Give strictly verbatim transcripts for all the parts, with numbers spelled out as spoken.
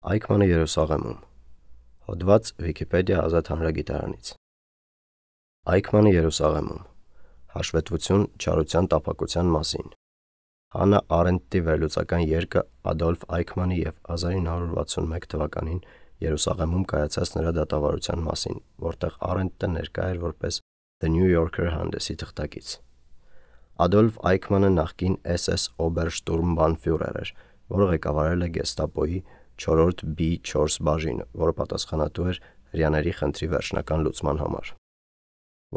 Այքմանը Երուսաղեմում։ Հոդված Վիկիպեդիա ազատ հանրագիտարանից։ Այքմանը Երուսաղեմում։ Հաշվետվություն չարության տափակության մասին։ Հաննա Արենդտի վերլուծական երկը Ադոլֆ Այքմանի և հազար ինը հարյուր վաթսունմեկ թվականին Երուսաղեմում կայացած նրա դատավարության մասին, որտեղ Արենդտը ներկա էր որպես The New Yorker հանդեսի թղթակից։ Ադոլֆ Այքմանը նախկին էս էս օբերշտուրմբանֆյուրեր էր, որը ղեկավարել է գեստապոյի չորրորդ բի չորս բաժինը, որը պատասխանատու էր հրեաների խնդրի վերջնական լուծման համար։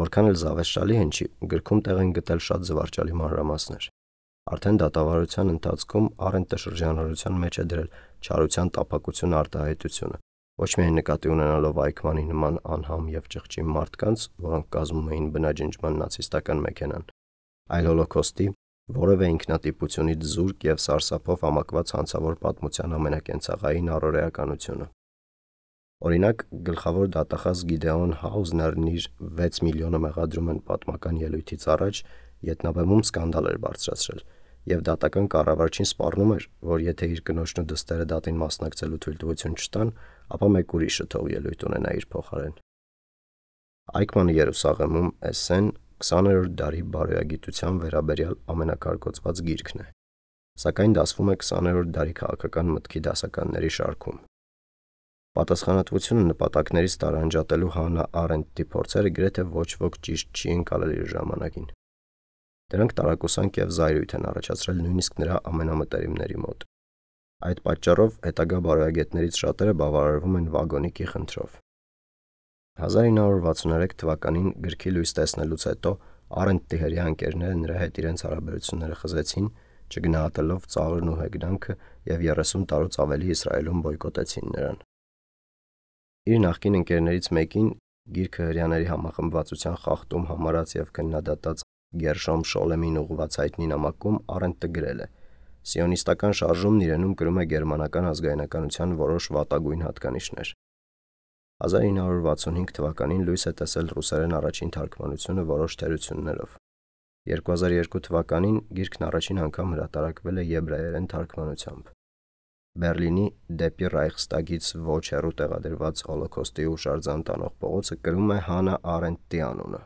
Որքան էլ զավեշտալի հնչի, գրքում տեղ են գտել շատ զվարճալի մանրամասներ։ Արդեն դատավարության ընթացքում Արենդտը շրջանառության մեջ է դրել չարության տափակություն արտահայտությունը, ոչ միայն նկատի ունենալով Այքմանի նման անհամ և ճղճի մարդկանց, որոնք կազմում էին բնաջնջման նացիստական մեքենան, այլ Հոլոքոստի, որևէ ինքնատիպությունից զուրկ և սարսափով համակված հանցավոր պատմության ամենակենցաղային առօրեականությունը։ Օրինակ, գլխավոր դատախազ Գիդեոն Հաուզներն իր վեց միլիոնը մեղադրում են պատմական ելույթից առաջ ետնաբեմում սկանդալ էր բարձրացրել, և դատական կառավարչին սպառնում էր, որ եթե իր կնոջն ու դստերը դատին մասնակցելու թույլտվություն չտան, ապա մեկ ուրիշը թող ելույթ ունենա իր փոխարեն։ Այքմանը Երուսաղեմում էսսեն քսաներորդ դարի բարոյագիտության վերաբերյալ ամենակարկոծված գիրքն է, սակայն դասվում է քսաներորդ դարի քաղաքական մտքի դասականների շարքում։ Պատասխանատվությունը նպատակներից տարանջատելու Հաննա Արենդտի փորձերը գրեթե ոչ ոք ճիշտ չի ընկալել իր ժամանակին։ Դրանք տարակուսանք և զայրույթ են առաջացրել նույնիսկ նրա ամենամտերիմների մոտ։ Այդ պատճառով հետագա բարոյագետներից շատերը բավարարվում են վագոնիկի խնդրով։ հազար ինը հարյուր վաթսուներեք թվականին գրքի լույս տեսնելուց հետո Արենդտի հրեա ընկերները նրա հետ իրենց հարաբերությունները խզեցին, չգնահատելով ծաղրն ու հեգնանքը, և երեսուն տարուց ավելի Իսրայելում բոյկոտեցին նրան։ Իր նախկին ընկերներից մեկին գիրքը հրեաների համախմբվածության խախտում համարած և քննադատած Գերշոմ Շոլեմին ուղղված հայտնի նամակում Արենդտը գրել է. «Սիոնիստական շարժումն իրենում կրում է գերմանական ազգայնականության որոշ վատագույն հատկանիշներ»։ հազար ինը հարյուր վաթսունհինգ թվականին լույս է տեսել ռուսերեն առաջին թարգմանությունը որոշ թերություններով։ երկու հազար երկու թվականին գիրքն առաջին անգամ հրատարակվել է եբրայերեն թարգմանությամբ։ Բեռլինի դեպի Ռայխստագից ոչ հեռու տեղադրված Հոլոքոստի հուշարձան տանող փողոցը կրում է Հաննա Արենդտի անունը։